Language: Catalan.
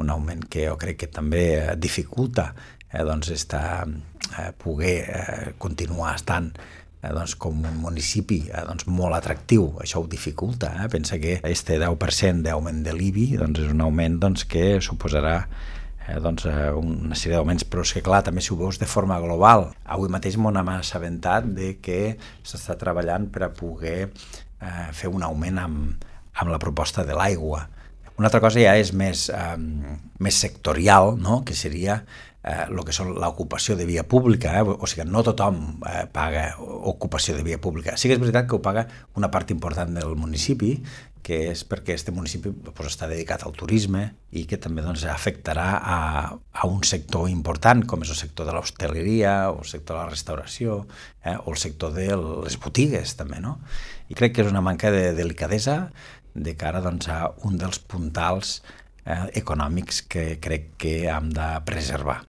un augment que jo crec que també dificulta poder continuar estant com un municipi molt atractiu. Això ho dificulta. Pensa que aquest 10% d'augment de l'IBI és un augment que suposarà una sèrie d'augments, però és que clar, també si ho veus de forma global. Avui mateix m'ho hem assabentat de que s'està treballant per a poder fer un augment amb la proposta de l'aigua. Una altra cosa ja és més sectorial, no? Que seria el que és l'ocupació de via pública, o sigui, no tothom paga ocupació de via pública. Sí que és veritat que ho paga una part important del municipi, que és perquè aquest municipi està dedicat al turisme i que també afectarà a un sector important, com és el sector de l'hostaleria, o el sector de la restauració, o el sector de les botigues, també, no? I crec que és una manca de delicadesa de cara a un dels puntals econòmics que crec que hem de preservar.